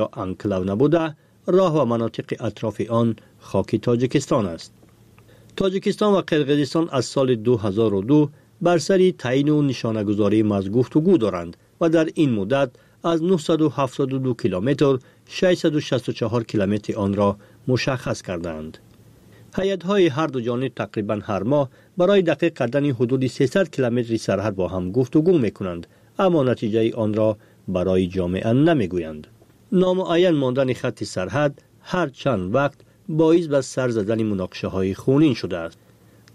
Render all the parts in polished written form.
ё анклав набуда, роҳ ва манотиқи атрофи он хоки Тоҷикистон аст. Тоҷикистон ва Қирғизистон аз соли 2002 бар сари таъйину нишонагузории марз гуфтугӯ доранд ва дар ин муддат аз 972 километр 664 километри онро мушаххас кардаанд. Ҳайатҳои ҳар ду ҷониб тақрибан ҳар моҳ барои дақиқ кардани ҳудуди 300 километри сарҳад бо ҳам гуфтугӯ мекунанд, аммо натиҷаи онро барои ҷомеа намегӯянд. Номуайян мондани хатти сарҳад ҳар чанд вақт боис ба сар задани муноқишаҳои хунин шудааст.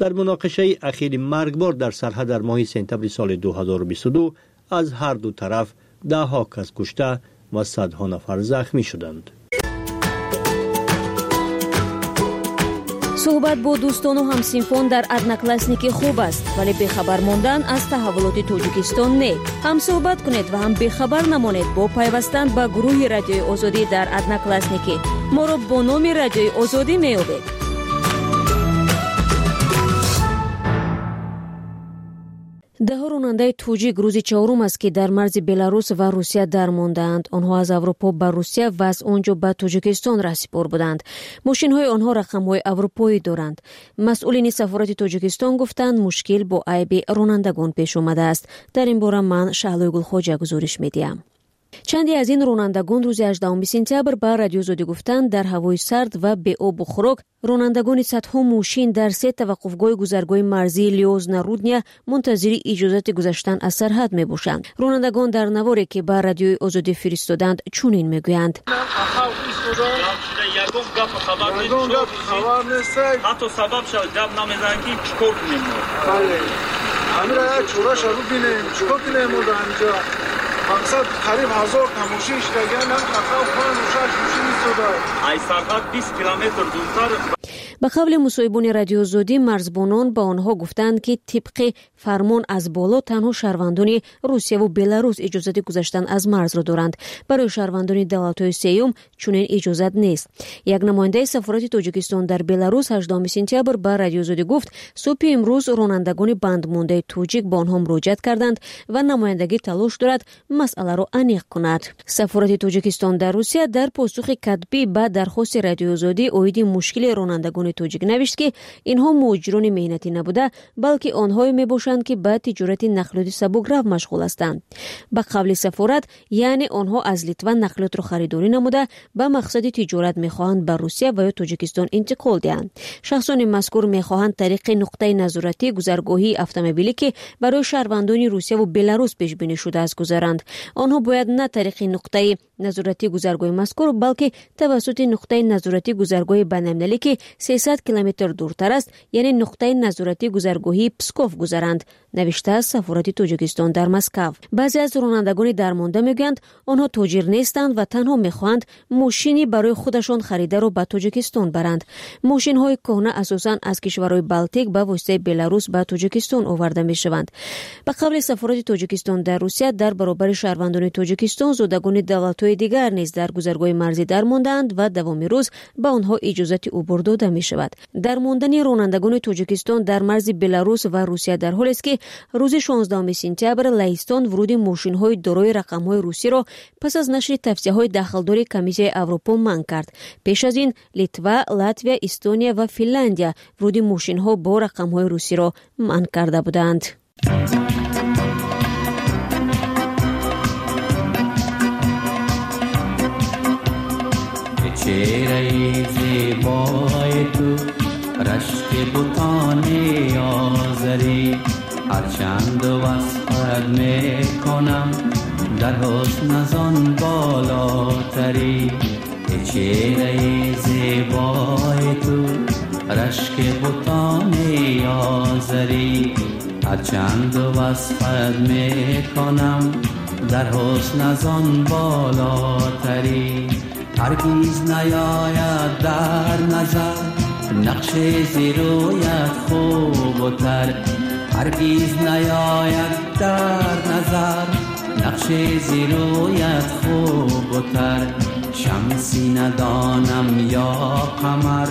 Дар муноқишаи ахири маргбор дар сарҳад дар моҳи сентябри соли 2022 аз ҳар ду тараф даҳҳо кас кушта ва садҳо нафар захмӣ шуданд. Суҳбат бо дӯстону ҳамсинфон дар Одноклассники хуб аст, вале бехабар мондан аз таҳаввулоти Тоҷикистон не. Ҳам суҳбат кунед ва ҳам бехабар намонед бо пайвастан ба гурӯҳи Радиои Озодӣ дар Одноклассники. Моро бо номи Радиои Озодӣ меёбед. Даҳо ронандаи тоҷик рӯзи чаҳорум аст, ки дар марзи Беларус ва Русия дармондаанд. Онҳо аз Аврупо ба Русия ва аз он ҷо ба Тоҷикистон раҳсипор буданд. Мошинҳои онҳо рақамҳои аврупоӣ доранд. Масъулини сафорати Тоҷикистон гуфтанд, мушкил бо айби ронандагон пеш омадааст. Дар ин бора ман Шаҳлои Гулхоҷа гузориш медиҳам. Чанде аз ин ронандагон рӯзи 18 сентябр ба Радиои Озодӣ гуфтанд, дар ҳавои сард ва беобу хӯрок ронандагони садҳо мошин дар се таваққуфгоҳи гузаргоҳи марзии Лиозна Рудня мунтазири иҷозати гузаштан аз сарҳад мебошанд. Ронандагон дар наворе, ки ба Радиои Озодӣ фиристоданд, чунин мегӯянд. Ҳатто сабаб шавад гап намезананд, ки чӣ кор кунем мо. Ҳамира як чораша бибинем, чӣ кор кунем мо дар инҷа. Мақсад қариб 1000 та мошин иштаган, ҳам 5-6 мошин истода. Ай сарҳад 20 километр дуртар. Ба қавли мусоҳибони Радиои Озодӣ, марзбонон ба онҳо гуфтанд, ки тибқи фармон аз боло танҳо шаҳрвандони Русияву Беларус иҷозати гузаштан аз марзро доранд. Барои шаҳрвандони давлатҳои сеюм чунин иҷозат нест. Як намояндаи сафорати Тоҷикистон дар Беларус 18 сентябр ба Радиои Озодӣ гуфт, субҳи имрӯз ронандагони бандмондаи тоҷик ба онҳо муроҷиат карданд ва намояндагӣ талош дорад масъаларо аниқ кунад. Сафорати Тоҷикистон дар Русия дар посухи катбӣ ба дархости Радиои Озодӣ оиди мушкили ронандагони тоҷик навишт, ки инҳо муҳоҷирони меҳнатӣ набуда, балки онҳое мебошанд, ки ба тиҷорати нақлиёти сабукрав машғул ҳастанд. Ба қавли сафорат, яъне онҳо аз Литва нақлиётро харидорӣ намуда, ба мақсади тиҷорат мехоҳанд ба Русия ва ё Тоҷикистон интиқол диҳанд. Шахсони мазкур мехоҳанд тариқи нуқтаи назоратӣ гузаргоҳии автомобилӣ, ки барои шаҳрвандони Русияву Беларус пешбинӣ шудааст, гузаранд. Онҳо бояд на тариқи нуқтаи назоратӣ гузаргоҳи мазкур, балки тавассути нуқтаи назоратӣ гузаргоҳи байналмилалӣ, ки 300 километр дуртар аст, яъне нуқтаи назоратӣ гузаргоҳии Псков гузаранд, навиштааст сафорати Тоҷикистон дар Москав. Баъзе аз ронандагони дармонда мегӯянд, онҳо тоҷир нестанд ва танҳо мехоҳанд мошини барои худашон харидаро ба Тоҷикистон баранд. Мошинҳои кӯҳна асосан аз кишварҳои Балтик ба воситаи Беларус ба Тоҷикистон оварда мешаванд. Ба қавли сафорати Тоҷикистон дар Русия, дар баробари шаҳрвандони Тоҷикистон зодагони давлатҳои дигар низ дар гузаргоҳи марзӣ дармондаанд ва давоми рӯз ба онҳо иҷозати убур дода мешавад. Дармондани ронандагони Тоҷикистон дар марзи Беларус ва Русия дар ҳолест, ки рӯзи 16 сентябр Лаҳистон вуруди мошинҳои дорои рақамҳои русиро пас аз нашри тавсияҳои дахлдори Комиссияи Аврупо манъ кард. Пеш аз ин Литва, Латвия, Эстония ва Финляндия вуруди мошинҳо бо рақамҳои русиро манъ карда буданд. چهره زیبای تو رشک بتان آذری، هرچند وصفت میکنم در حسن از آن بالاتری. چهره زیبای تو رشک بتان آذری، هرچند وصفت میکنم در حسن از آن بالاتری. هرگز نیاید در نظر نقش زیرویت خوب و تر، هرگز نیاید در نظر نقش زیرویت خوب و تر. شمسی ندانم یا قمر،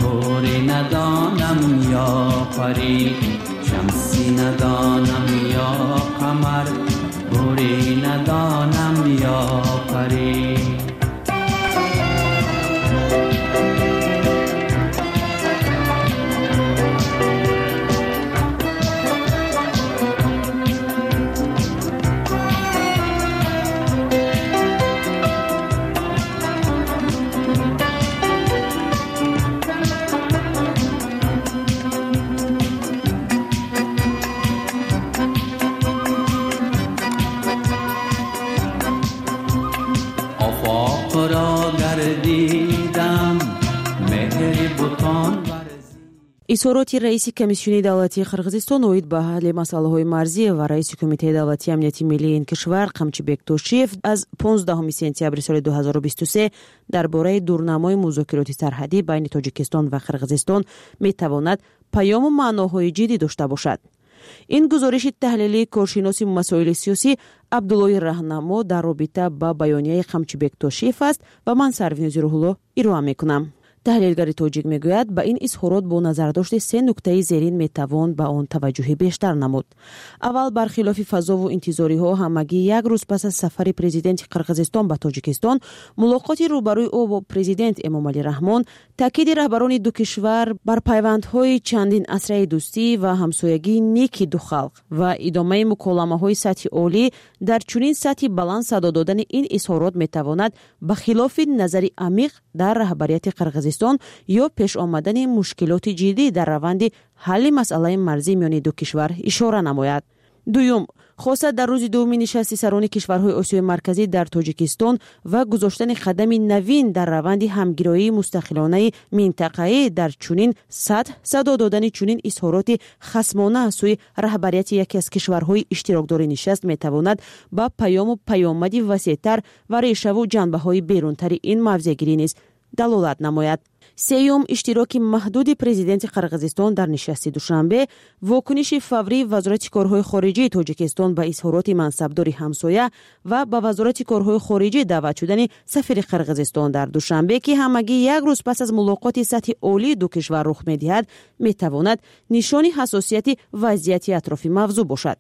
حوری ندانم یا پری، شمسی ندانم یا قمر، حوری ندانم یا پری. Меҳрубон варзӣ. Изҳороти раиси Комиссиони давлатии Қирғизистон оид ба ҳалли масъалаҳои марзӣ ва раиси Кумитаи давлатии амнияти миллии ин кишвар Қамчибек Тошиев аз 15 сентябри соли 2023 дар бораи дурнамои музокироти сарҳадӣ байни Тоҷикистон ва Қирғизистон метавонад паёму маъноҳои ҷиддӣ дошта бошад. Ин гузориши таҳлилии коршиноси масоили сиёсӣ Абдуллои Раҳнамо дар робита ба баёнияи Қамчибек Тошиев аст ва ман Сарвинози Рӯҳулло ироа мекунам. Таҳлилгари тоҷик мегӯяд, ба ин изҳорот бо назардошти се нуктаи зерин метавон ба он таваҷҷӯҳи бештар намуд. Аввал, бархилофи фазову интизориҳо, ҳамагӣ як рӯз пас аз сафари президенти Қирғизистон ба Тоҷикистон, мулоқоти рӯбарӯи ӯ бо президент Эмомалӣ Раҳмон, таъкиди раҳбарони ду кишвар бар пайвандҳои чандин асраи дӯстӣ ва ҳамсоягии неки ду халқ ва идомаи муколамаҳои сатҳи олӣ дар чунин сатҳи баланд садо додани ин изҳорот метавонад ба хилофи назари амиқ дар раҳбарияти Қирғизистон ё пеш омадани мушкилоти ҷиддӣ дар раванди ҳалли масъалаи марзӣ миёни ду кишвар ишора намояд. Дуюм, хоса дар рӯзи дуввуми нишасти сарони кишварҳои Осиёи Марказӣ дар Тоҷикистон ва гузоштани қадами навин дар раванди ҳамгироии мустақилонаи минтақаӣ дар чунин сатҳ садо додани чунин изҳороти хасмона аз сӯи раҳбарияти яке аз кишварҳои иштирокдори нишаст метавонад ба паёму паёмади васеътар ва решаву ҷанбаҳои берунтари ин мавзеъгирӣ низ далолат намояд. Сеюм, иштироки маҳдуди президенти Қирғизистон дар нишасти Душанбе, вокуниши фаврии Вазорати корҳои хориҷии Тоҷикистон ба изҳороти мансабдори ҳамсоя ва ба Вазорати корҳои хориҷӣ даъват шудани сафири Қирғизистон дар Душанбе, ки ҳамагӣ як рӯз пас аз мулоқоти сатҳи олии ду кишвар рух медиҳад, метавонад нишони ҳассосияти вазъияти атрофи мавзӯъ бошад.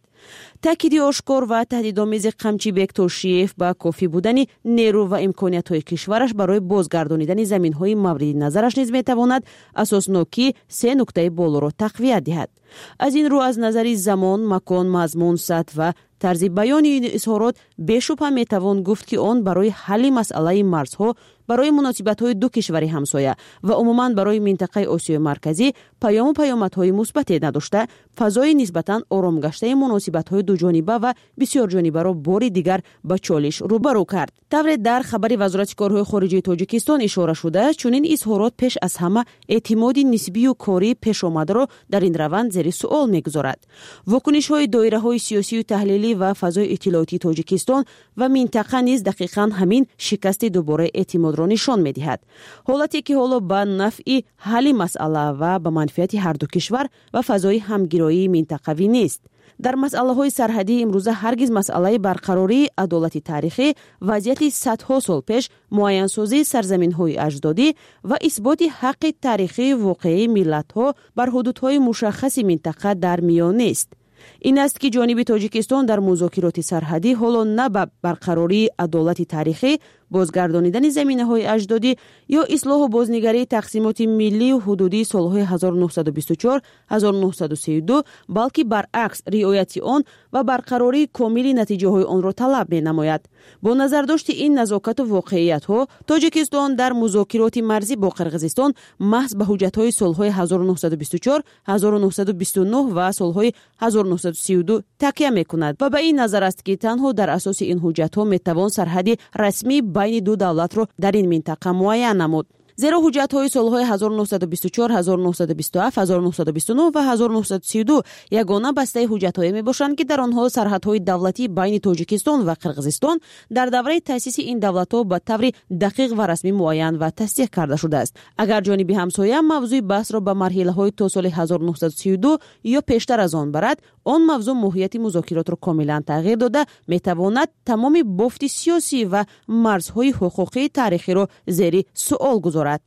Таъкиди ошкор ва таҳдидомези Қамчибек Тошиев ба кофӣ будани нерӯ ва имкониятҳои кишвараш барои бозгардонидани заминҳои мавриди назараш низ метавонад асоснокии се нуктаи болоро тақвият диҳад. Аз ин рӯ, аз назари замон, макон, мазмун, сатҳ ва тарзи баёни ин изҳорот бешубҳа метавон гуфт, ки он барои ҳалли масъалаи марзҳо, барои муносибатҳои ду кишвари ҳамсоя ва умуман барои минтақаи Осиёи Марказӣ паёму паёмадҳои мусбате надошта, фазои нисбатан оромгаштаи муносибатҳои дуҷониба ва бисёрҷонибаро бори дигар ба чолиш рӯбарӯ кард. Тавре дар хабари Вазорати корҳои хориҷии Тоҷикистон ишора шудааст, чунин изҳорот пеш аз ҳама эътимоди нисбию кории пешомадаро дар ин раванд зери суол мегузорад. Вокунишҳои доираҳои сиёсию таҳлилӣ ва фазои иттилоотии Тоҷикистон ва минтақа низ дақиқан ҳамин шикасти дубораи эътимодро нишон медиҳад, ҳолате ки ҳоло ба нафъи ҳалли масъала ва ба манфиати ҳарду кишвар ва фазои ҳамгироии минтақавӣ нест. Дар масъалаҳои сарҳадии имрӯза ҳаргиз масъалаи барқарории адолати таърихӣ, вазъияти садҳо сол пеш, муайянсозии сарзаминҳои аҷдодӣ ва исботи ҳаққи таърихии воқеии миллатҳо бар ҳудудҳои мушаххаси минтақа дар миён нест. Ин аст ки ҷониби Тоҷикистон дар музокироти сарҳадӣ ҳоло на ба барқарории адолати таърихӣ, бозгардонидани заминаҳои аҷдодӣ ё ислоҳу бознигарии тақсимоти миллию ҳудудии солҳои 1924 1932, балки баръакс риояти он ва барқарории комили натиҷаҳои онро талаб менамояд. Бо назардошти ин назокату воқеиятҳо, Тоҷикистон дар музокироти марзӣ бо Қирғизистон маҳз ба ҳуҷҷатҳои солҳои 1924 1929 ва солҳои 1932 такя мекунад ва ба ин назар аст, ки танҳо дар асоси ин ҳуҷҷатҳо метавон сарҳади расмии байни ду давлатро дар ин минтақа муайян намуд, зеро ҳуҷҷатҳои солҳои 1924 1927, 1929 ва 1932 ягона бастаи ҳуҷҷатҳое мебошанд, ки дар онҳо сарҳадҳои давлатӣ байни Тоҷикистон ва Қирғизистон дар давраи таъсиси ин давлатҳо ба таври дақиқ ва расмӣ муайян ва тасдиқ карда шудааст. Агар ҷониби ҳамсоя мавзӯи баҳсро ба марҳилаҳои то соли 1932 ё пештар аз он барад, он мавзӯъ моҳияти музокиротро комилан тағйир дода метавонад, тамоми бофти сиёсӣ ва марзҳои ҳуқуқии таърихиро зери суол гузорад.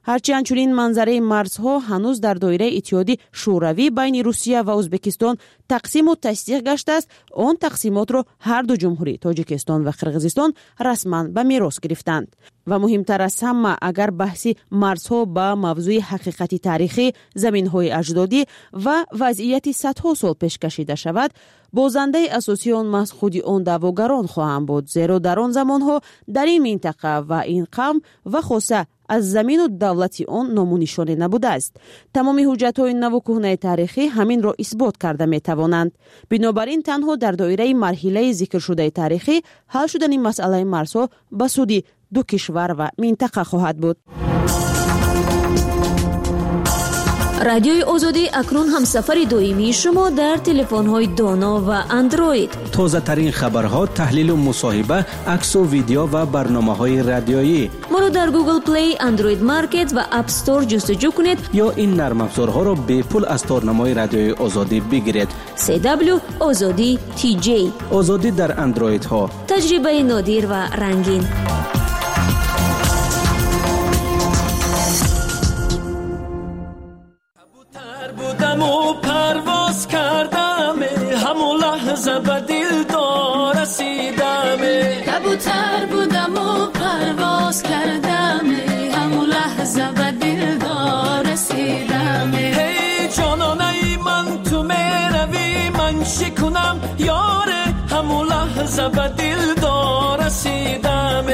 Ҳарчанд чунин манзараи марзҳо ҳанӯз дар доираи Иттиҳоди Шӯравӣ байни Русия ва Ӯзбекистон тақсиму тасдиқ гаштааст, он тақсимотро ҳар ду ҷумҳурӣ, Тоҷикистон ва Қирғизистон, расман ба мерос гирифтанд. Ва муҳимтар аз ҳама, агар баҳси марзҳо ба мавзӯи ҳақиқати таърихӣ, заминҳои аҷдодӣ ва вазъияти садҳо сол пеш кашида шавад, бозандаи асосии он маҳз худи он даъвогарон хоҳанд буд, зеро дар он замонҳо дар ин минтақа ва ин қавм ва хоса аз замину давлати он ному нишоне набудааст. Тамоми ҳуҷҷатҳои наву кӯҳнаи таърихӣ ҳаминро исбот карда метавонанд. Бинобар ин, танҳо дар доираи марҳилаи зикршудаи таърихӣ ҳал шудани масъалаи марзҳо ба суди ду кишвар ва минтақа хоҳад буд. Радиои Озодӣ акнун ҳамсафари доимии шумо дар телефонҳои доно ва Андроид. Тозатарин хабарҳо, таҳлилу мусоҳиба, аксу видео ва барномаҳои радиоӣ. Моро дар Google Play, Android Market ва App Store ҷустуҷӯ кунед ё ин нармафзорҳоро бепул аз торнамои Радиои Озодӣ бигиред. CW Озодӣ TJ. Озодӣ дар андроидҳо. Таҷрибаи нодир ва рангин. Парвоз кардам, ҳамон лаҳза ба дилдор расидам. Кабутар будам парвоз кардам, ҳамон лаҳза ба дилдор расидам. Эй ҷононаи ман, ту меравӣ, ман чӣ кунам ёре, ҳамон лаҳза ба дилдор расидам.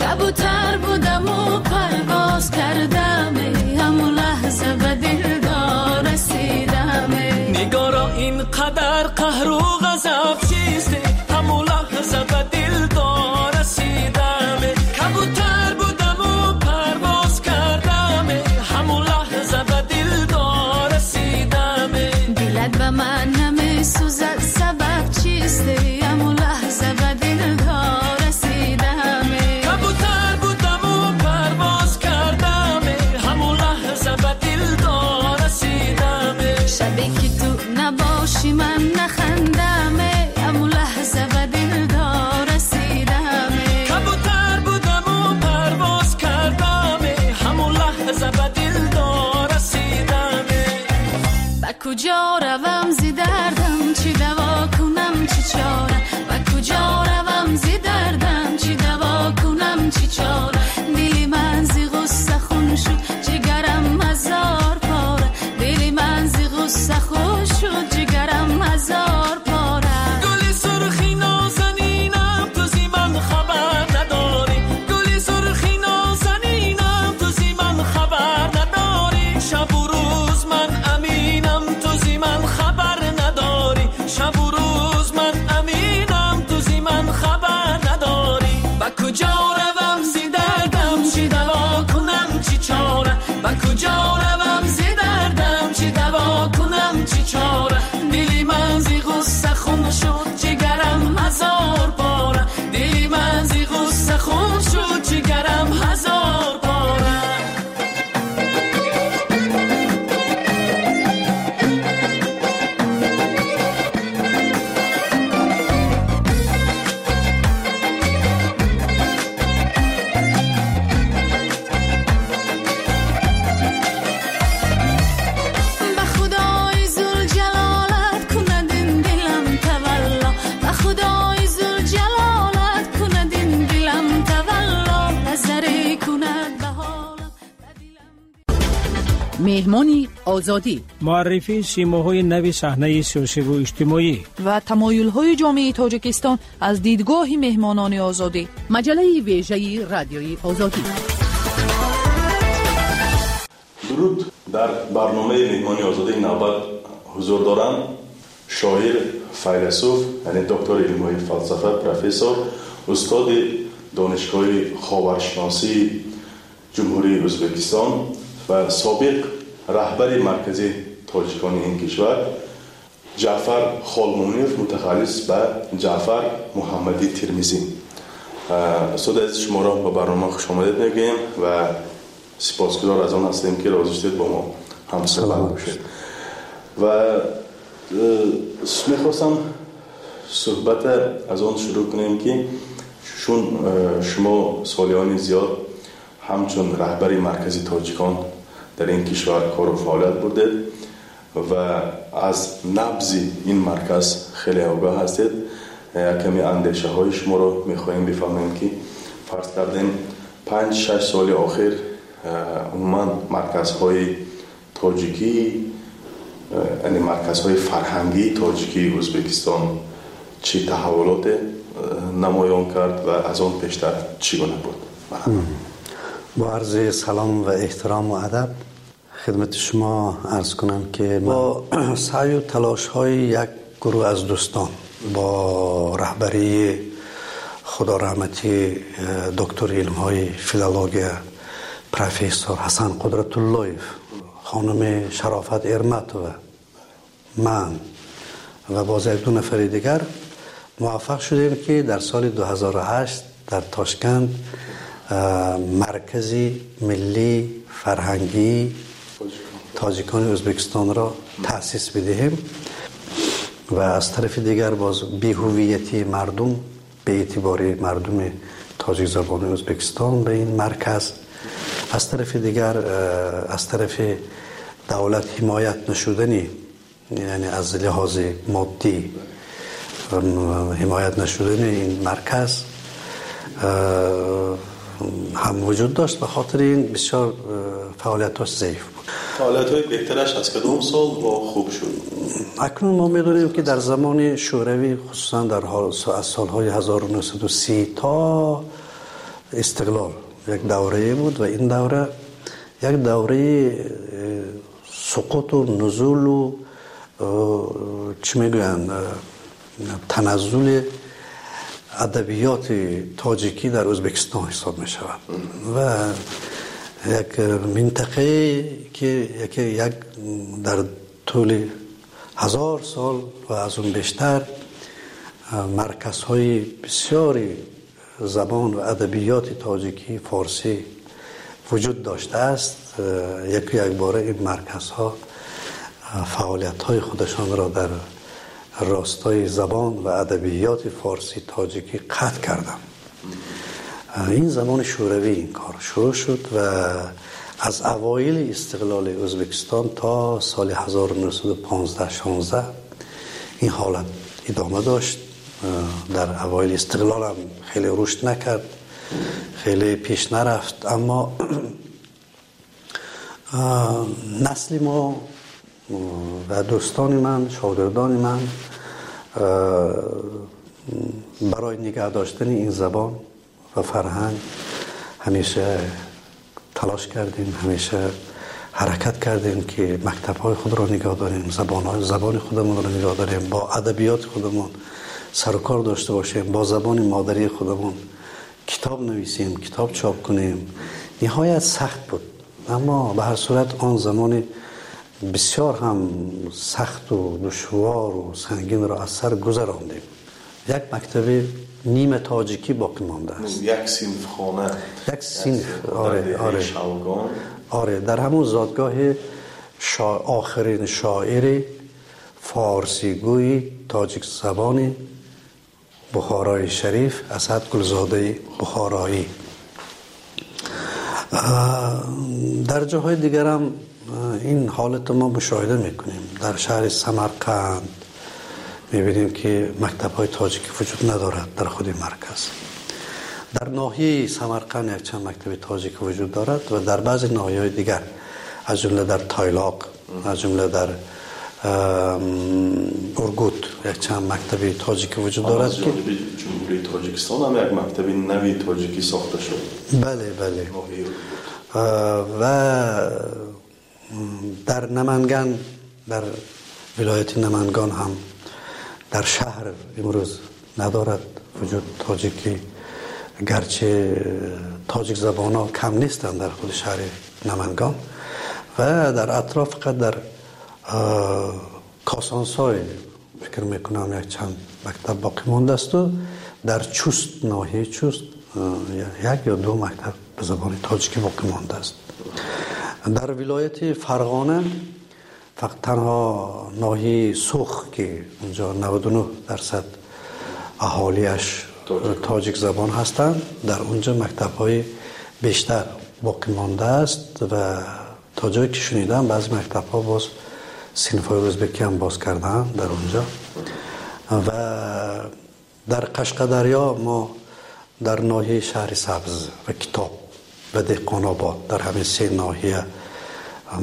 Кабутар будам парвоз кардам, ҳамон лаҳза ба дилдор расидам. Нигоро, ин қадар қаҳру ғазаб чист, ҳамон лаҳза ба дилдор расидам. Кабутар будам парвоз кардам, ҳамон лаҳза ба дилдор расидам. Дилат ба ман намесӯзад, сабаб чист, ҳамон лаҳза ба дилдор расидам. Кабутар будам парвоз кардам, ҳамон лаҳза ба дилдор расидам. Шабе ки ту набошӣ, ман нахандам, ҳамон лаҳза ба дилдор расидам. Кабутар будам парвоз кардам, ҳамон лаҳза ба дилдор расидам. Ба куҷо равам зи дардам, чӣ даво кунам, чӣ чора? Ба куҷо равам зи дардам, чӣ даво кунам, чӣ чора? Дили ман зи ғусса хун шуд, ҷигарам ҳазор пора. Дили ман зи ғусса хун шуд, ҷигарам ҳазор пора. Гули сурхи нозанинам, ту зи ман хабар надорӣ. Гули сурхи нозанинам, ту зи ман хабар надорӣ. Шабу рӯз ман аминам, ту зи ман хабар надорӣ. Шабу рӯз ман аминам, ту зи ман хабар надорӣ. Ба куҷо равам зи дардам, чӣ даво кунам, чӣ чора? Ба куҷо равам зи дардам, чӣ даво кунам, чӣ чора? Дили ман зи ғусса хун шуд, ҷигарам ҳазор пора. Дили ман зи ғусса хун шуд, ҷигарам ҳазор пора. Ба худои зулҷалолат кунад ин дилам тавалло, ба худои зулҷалолат кунад ин дилам тавалло. Назаре кунад ба ҳолам, ба дилам. Меҳмони Озодӣ. Муаррифии симоҳои нави саҳнаи сиёсиву иҷтимоӣ ва тамоюлҳои ҷомеаи Тоҷикистон аз дидгоҳи меҳмонони Озодӣ. Маҷаллаи вежаи Радиои Озодӣ. Дуруд. Дар барномаи Меҳмони Озодӣ навбат ҳузур доранд шоир, файласуф, яъне доктори илмҳои фалсафа, профессор, устоди Донишгоҳи ховаршиносии Ҷумҳурии Ӯзбекистон ва собиқ раҳбари маркази тоҷикони ин кишвар Ҷаъфар Холмуминов, мутахаллис ба Ҷаъфар Муҳаммадӣ Термизӣ. Устоди азиз, шуморо ба барнома хушомадед мегӯем ва сипосгузор аз он ҳастем, ки розӣ шудед бо мо ҳамсуҳбат бошед. Ва мехостам суҳбата аз он шурӯъ кунем, ки чун шумо солиёни зиёд ҳамчун раҳбари маркази тоҷикон дар ин кишвар кору фаъолият бурдед ва аз набзи ин марказ хеле огоҳ ҳастед, як каме андешаҳои шуморо мехоҳем бифаҳмем, ки фарз кардем 5-6 соли охир умуман марказҳои тоҷикӣ, яъне марказҳои фарҳангии тоҷикии Ӯзбекистон чӣ таҳаввулоте намоён кард ва аз он пештар чӣ гуна буд? Бо арзи салом ва эҳтирому адаб хидмати шумо арз кунам, ки бо саъю талошҳои як гурӯҳ аз дӯстон бо раҳбарии худо раҳматӣ доктори илмҳои филология, профессор Ҳасан Қудратуллоев, خانم شرافت ارمتova، من و باز یک دو نفر دیگر موفق شدیم که در سال 2008 در تاشکند مرکزی ملی فرهنگی تاجیکان ازبکستان را تأسیس بدهیم. و از طرف دیگر باز بی‌هویتی مردم به اعتبار مردم تاجیک زبان ازبکستان به این مرکز، از طرف دیگر از طرف دولت حمایت نشدنی، یعنی از لحاظ مادی حمایت نشدن این مرکز هم وجود داشت. به خاطر این بسیار فعالیت‌هاش ضعیف بود. فعالیت‌های بهترش از کدام سال با خوب شد؟ اکنون ما می‌دونیم که در زمان شوروی، خصوصا در از سال‌های 1930 تا استقلال یک دوره بود و این دوره یک دوره سقوط و نزول و چی میگویند تنزل ادبیات تاجیکی در ازبکستان حساب می شود و یک منطقه که یک در طول 1000 سال و از اون بیشتر مرکزهای بسیاری زبان و ادبیات تاجیکی فارسی وجود داشته است. یک باره این مرکزها فعالیت‌های خودشان را در راستای زبان و ادبیات فارسی تاجیکی قطع کردند. این زمان شوروی این کار شروع شد و از اوایل استقلال ازبکستان تا سال 1915-16 این حالت ادامه داشت. در اوایل استقلال هم خیلی رشد نکرد، خیلی پیش نرفت، اما نسل ما و دوستان من، شاگردان من برای نگه داشتن این زبان و فرهنگ همیشه تلاش کردیم، همیشه حرکت کردیم که مکتب‌های خود را نگاه داریم، زبان خودمون را نگاه داریم، با ادبیات خودمون سر و کار داشته باشیم، با زبان مادری خودمون کتاب نویسیم، کتاب چاپ کنیم. نهایت سخت بود، اما به هر صورت آن زمان بسیار هم سخت و دشوار و سنگین را از سر گذراندیم. یک مکتب نیمه تاجیکی باقی مانده است، یک صنف خانه، یک صنف، آره آره آره، در همون زادگاه آخرین شاعر فارسیگوی تاجیک زبان بخارای شریف، اسد گلزاده بخارایی. در جاهای دیگر هم این حالت ما مشاهده میکنیم. در شهر سمرقند میبینیم که مکتب‌های تاجیکی وجود ندارد در خود مرکز. در ناحیه سمرقند یک چند مکتب تاجیکی وجود دارد و در بعضی ناحیه‌های دیگر، از جمله در تایلاق، از جمله در ارگوت یک چند مکتب تاجیکی وجود دارد. که جمهوری تاجیکستان هم یک مکتب نوی تاجیکی ساخته شد. بله بله. و در نمنگان، در ولایت نمنگان هم در شهر امروز ندارد وجود تاجیکی، گرچه تاجیک زبان ها کم نیستند در خود شهر نمنگان و در اطراف. فقط در کاسانسای فکر میکنم یک چند مکتب باقی مانده است و در چوست، ناحیه چوست، یک یا دو مکتب به زبان تاجیکی باقی مانده است. در ولایت فرغانه فقط تنها ناحیه سوخ که اونجا 99% اهالیش تاجیک زبان هستند، در اونجا مکتب‌های بیشتر باقی مانده است و تا جایی که شنیدم بعضی مکتب‌ها باز صنف‌های ازبکی هم باز کردن در اونجا. و در قشقدریا ما در ناحیه شهر سبز و کتاب و دهقان آباد، در همین سه ناحیه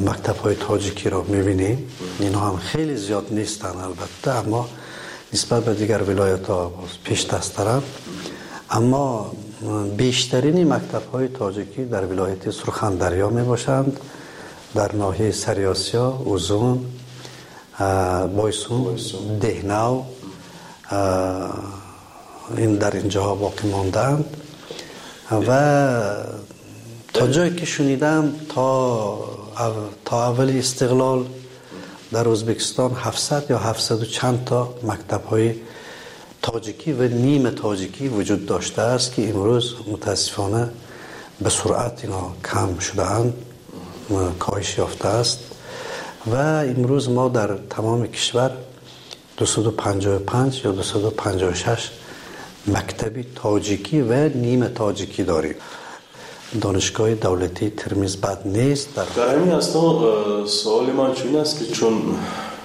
مکتب‌های تاجیکی را می‌بینیم. اینها هم خیلی زیاد نیستند البته، اما نسبت به دیگر ولایت‌ها پیش دست‌ترند. اما بیشترین مکتب‌های تاجیکی در ولایت سرخندریا می‌باشند، در ناحیه سریاسیا، اوزون، بایسون، دهنو، این در اینجاها باقی ماندند. و تا جایی که شنیدم تا تا اول استقلال در ازبکستان 700 یا 700 و چند تا مکتب‌های تاجیکی و نیم تاجیکی وجود داشته است که امروز متاسفانه به سرعت اینا کم شده‌اند، کاهش یافته است و امروز ما در تمام کشور 255 یا 256 مکتب تاجیکی و نیم تاجیکی داریم. دانشگاه دولتی ترمیز بد نیست. در همین اثنا سوال من چون است که چون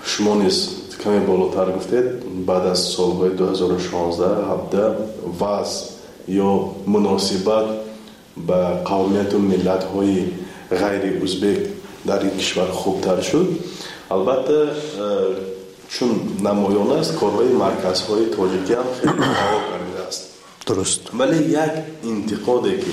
شما نیز کمی بالاتر گفتید، بعد از سالهای 2016 17 وضع یا مناسبت به قومیت و ملت‌های غیر ازبک در این کشور خوبتر شد. البته چون نمایان است کارهای مرکزهای تاجیکی هم خیلی فعال کرده است. درست. ولی یک انتقادی که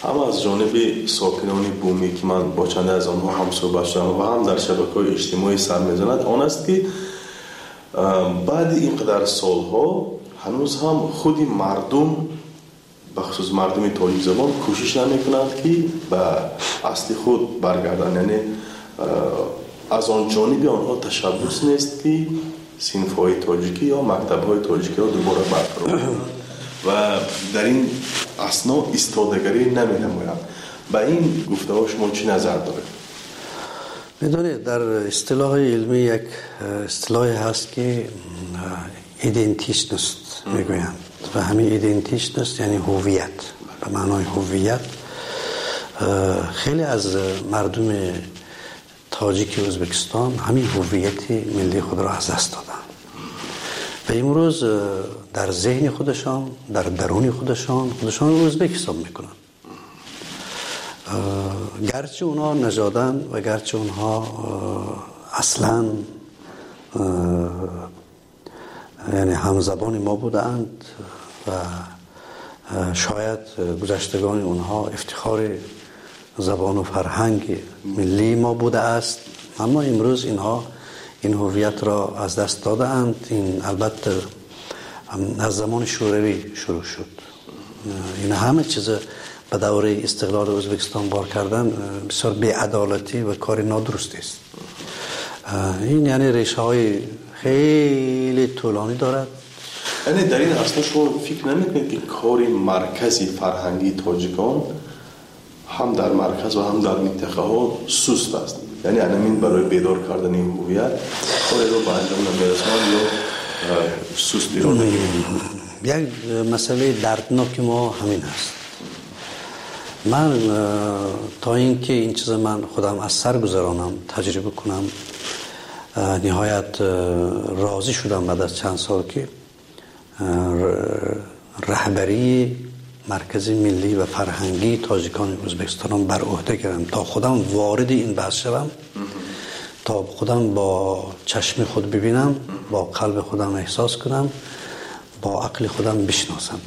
هم از جانب ساکنان بومی که من با چند از آنها هم صحبت شدم و هم در شبکه‌های اجتماعی سر می‌زند آن است که بعد اینقدر سالها هنوز هم خود مردم، بخصوص مردم تاجیک زبان، کوشش نمی‌کنند که به اصل خود برگردند. یعنی از آن جانب آنها تشبث نیست که صنف‌های تاجیکی یا مکتب‌های تاجیکی را دوباره برقرار کنند و در این اثنا ایستادگری نمی‌نمایند. به این گفته‌ها شما چی نظر دارید؟ می‌دونید در اصطلاح علمی یک اصطلاحی هست که ایدنتیشنست میگویند و همین ایدنتیشنست یعنی هویت، به معنای هویت. خیلی از مردم تاجیک ازبکستان همین هویت ملی خود را از دست دادند و امروز در ذهن خودشان، در درون خودشان، خودشان رو ازبک حساب میکنن، گرچه اونها نژادن و گرچه اونها اصلا یعنی همزبان ما بودند و شاید گذشتگان اونها افتخار زبان و فرهنگ ملی ما بوده است، اما امروز اینها این هویت را از دست دادند. این البته از زمان شوروی شروع شد. این همه چیز به دوره استقلال ازبکستان بار کردن بسیار بی‌عدالتی و کار نادرست است. این یعنی ریشه های خیلی طولانی دارد. یعنی در این اصلا شما فکر نمی‌کنید که کار مرکزی فرهنگی تاجیکان هم در مرکز و هم در منطقه ها سست است؟ یعنی همین برای بیدار کردن این هویت کاری رو به انجام نمی‌رساند یا سست ایراد؟ یک مسئله دردناک ما همین است. من تا اینکه این چیز من خودم از سر گذرانم، تجربه کنم، نهایت راضی شدم بعد از چند سال که رهبری مرکز ملی و فرهنگی تاجیکان ازبکستان بر عهده گیرم تا خودم وارد این بحث شوم، تا خودم با چشم خود ببینم، با قلب خودم احساس کنم، با عقل خودم بشناسم.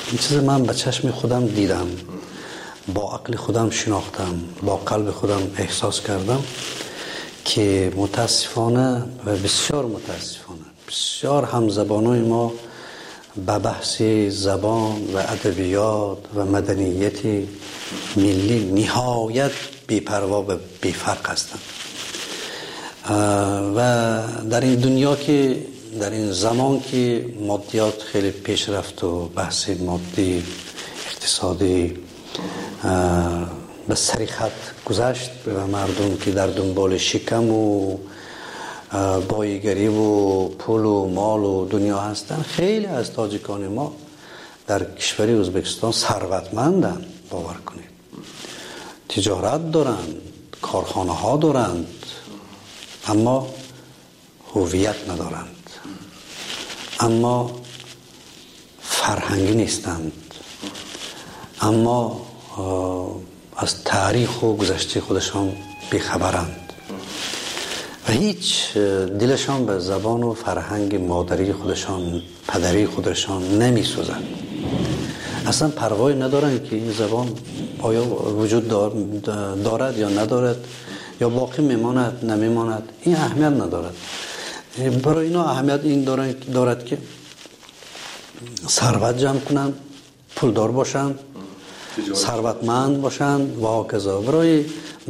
این چیز من به چشم خودم دیدم، با عقل خودم شناختم، با قلب خودم احساس کردم که متاسفانه و بسیار متاسفانه بسیار همزبانای ما به بحث زبان و ادبیات و مدنیت ملی نهایت بی‌پروا و بی‌فرق هستند و در این دنیا که در این زمان که مادیات خیلی پیش رفت و بحث مادی اقتصادی به سری خط گذشت و مردم که در دنبال شکم و بایگری و پول و مال و دنیا هستند، خیلی از تاجیکان ما در کشور ازبکستان ثروتمندند، باور کنید، تجارت دارند، کارخانه ها دارند، اما هویت ندارند، اما فرهنگی نیستند، اما از تاریخ و گذشته خودشان بیخبرند و هیچ دلشان به زبان و فرهنگ مادری خودشان، پدری خودشان نمی سوزند. اصلا پروای ندارند که این زبان آیا وجود دارد یا ندارد، یا باقی میماند نمیماند، این اهمیت ندارد. برای اینا اهمیت این دارد که ثروت جمع کنند، پولدار باشند، сарватманд бошанд ва ҳоказо. Барои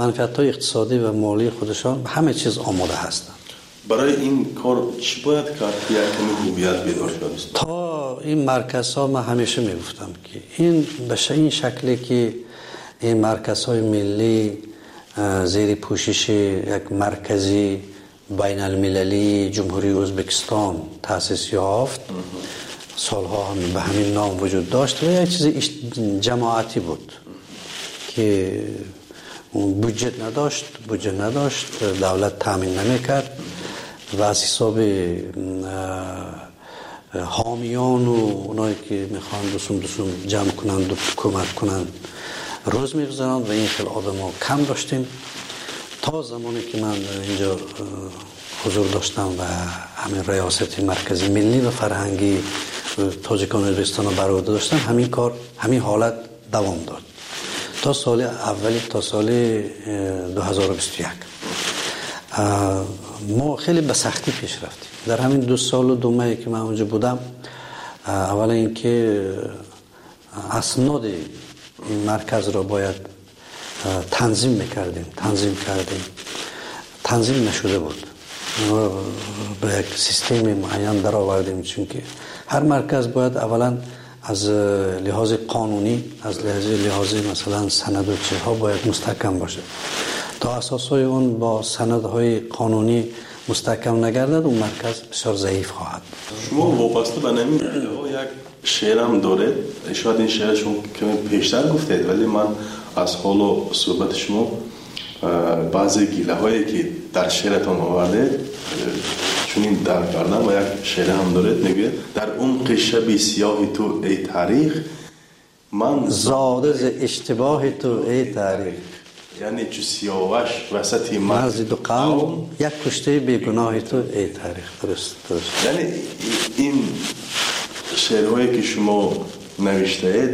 манфиатҳои иқтисодӣ ва молии худашон ҳама чиз омода ҳастанд. Барои ин кор чӣ бояд кард, ки як каме ҳувият бедор шавад? То ин марказҳо, ман ҳамеша мегуфтам, ки ин ба ин шакле ки ин марказҳои миллӣ зери пӯшиши як маркази байналмилалии Ҷумҳурии Ӯзбекистон таъсис ёфт, солҳо ҳам ба ҳамин ном вуҷуд дошт ва як чизи ҷамоатӣ буд, ки буҷет надошт, давлат таъмин намекард ва аз ҳисоби ҳомиёну онҳое ки мехоҳанд дусум ҷамъ кунанд, кӯмак кунанд, рӯз мегузаронанд ва ин хел одамо кам доштем. То замоне ки ман инҷо ҳузур доштам ва ҳамин риёсати маркази миллӣ ва фарҳангии тоҷикони Ӯзбекистонро бар уҳда доштам, ҳамин кор, ҳамин ҳолат давом дод то соли аввали, то соли 2021. Мо хеле ба сахтӣ пеш рафтем. Дар ҳамин 2 солу 2 моҳе ки ман онҷо будам, аввала ин ки асноди ин марказро бояд танзим мекардем, танзим кардем, танзим нашуда буд. Ба як системи муайян даровардем, чунки ҳар марказ бояд аввалан аз лиҳози қонунӣ, аз лиҳози масалан санаду чизҳо бояд мустаҳкам бошад. То асосҳои он бо санадҳои қонунӣ мустаҳкам нагардад, он марказ бисёр заиф хоҳад. Шумо вобаста ба ҳамин як шеърам доред, шояд ин шеър шумо каме пештар гуфтед, вале ман аз ҳолу суҳбати шумо баъзе гилаҳое ки дар шеъратон овардед чунин дарк кардам ва як шеър ҳам доред, мегӯяд: дар умқи шаби сиёҳи ту эй таърих, ман зода зи иштибоҳи ту эй таърих. Яъне чу сиёваш васати марзи ду қавм, як куштаи бегуноҳи ту эй таърих. Дуруст. Яъне ин шеърҳое ки шумо навиштаед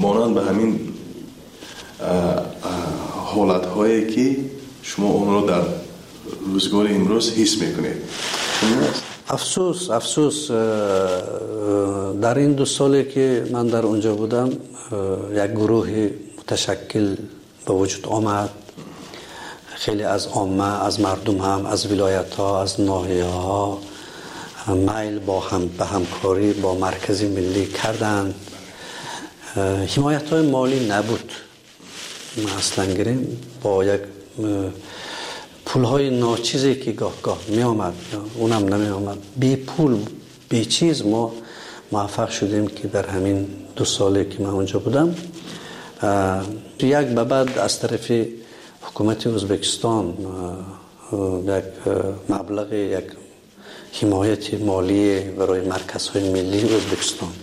монанд ба ҳамин ҳолатҳое ки шумо онро дар рӯзгори имрӯз ҳис мекунед. Афсӯс, дар ин 2 соле ки ман дар онҷо будам, як гурӯҳи муташаккил ба вуҷуд омад. Хеле аз омма, аз мардум ҳам, аз вилоятҳо, аз ноҳияҳо майл ба ҳамкорӣ бо маркази миллӣ карданд. Ҳимоятҳои молӣ набуд. Аслан гирем бо як пулҳои ночизе ки гоҳ-гоҳ меомад, унам намеомад, бе пул, бе чиз мо муваффақ шудем ки дар ҳамин 2 соле ки ман онҷо будам, як ба баъд аз тарафи ҳукумати Ӯзбекистон як маблағи, як ҳимояти молӣ барои марказҳои миллии Ӯзбекистон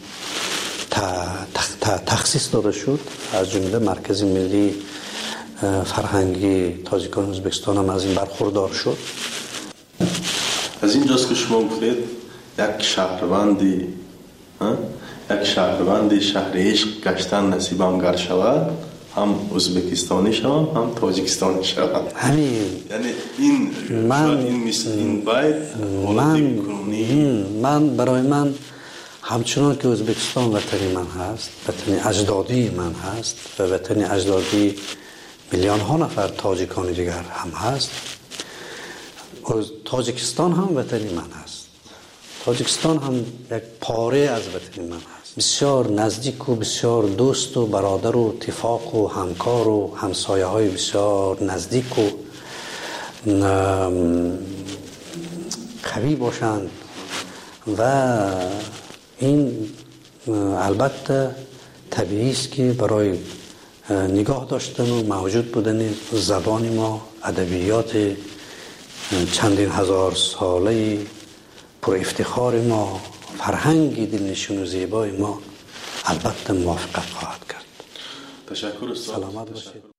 тахсис дода шуд. Аз ҷумла маркази миллии фарҳангии тоҷикони Ӯзбекистон ҳам аз ин бархурдор шуд. Аз ин ҷост ки шумо гуфтед як шаҳрванди шаҳри ишқ гаштан насибам гар шавад, ҳам ӯзбекистонӣ шавам, ҳам тоҷикистонӣ шавам. Ҳамин. Яъне ин шояд ин мисл, ин байт ҳолати кунунӣ. Ман барои ман ҳамчунон ки Ӯзбекистон ватани ман ҳаст, ватани аҷдодии ман ҳаст ва ватани аҷдодии миллионҳо нафар тоҷикони дигар ҳам ҳаст, Тоҷикистон ҳам ватани ман ҳаст. Тоҷикистон ҳам як пора аз ватани ман ҳаст. Бисёр наздику бисёр дӯсту бародару тифоқу ҳамкору ҳамсояҳои бисёр наздику қавӣ бошанд ва ин албатта табиист ки барои нигоҳ доштану мавҷуд будани забони мо, адабиёти чандин ҳазорсолаи пурэфтихори мо, фарҳанги дилнишину зебои мо албатта мувофиқат хоҳад кард. Ташаккур устод. Саломат бошед.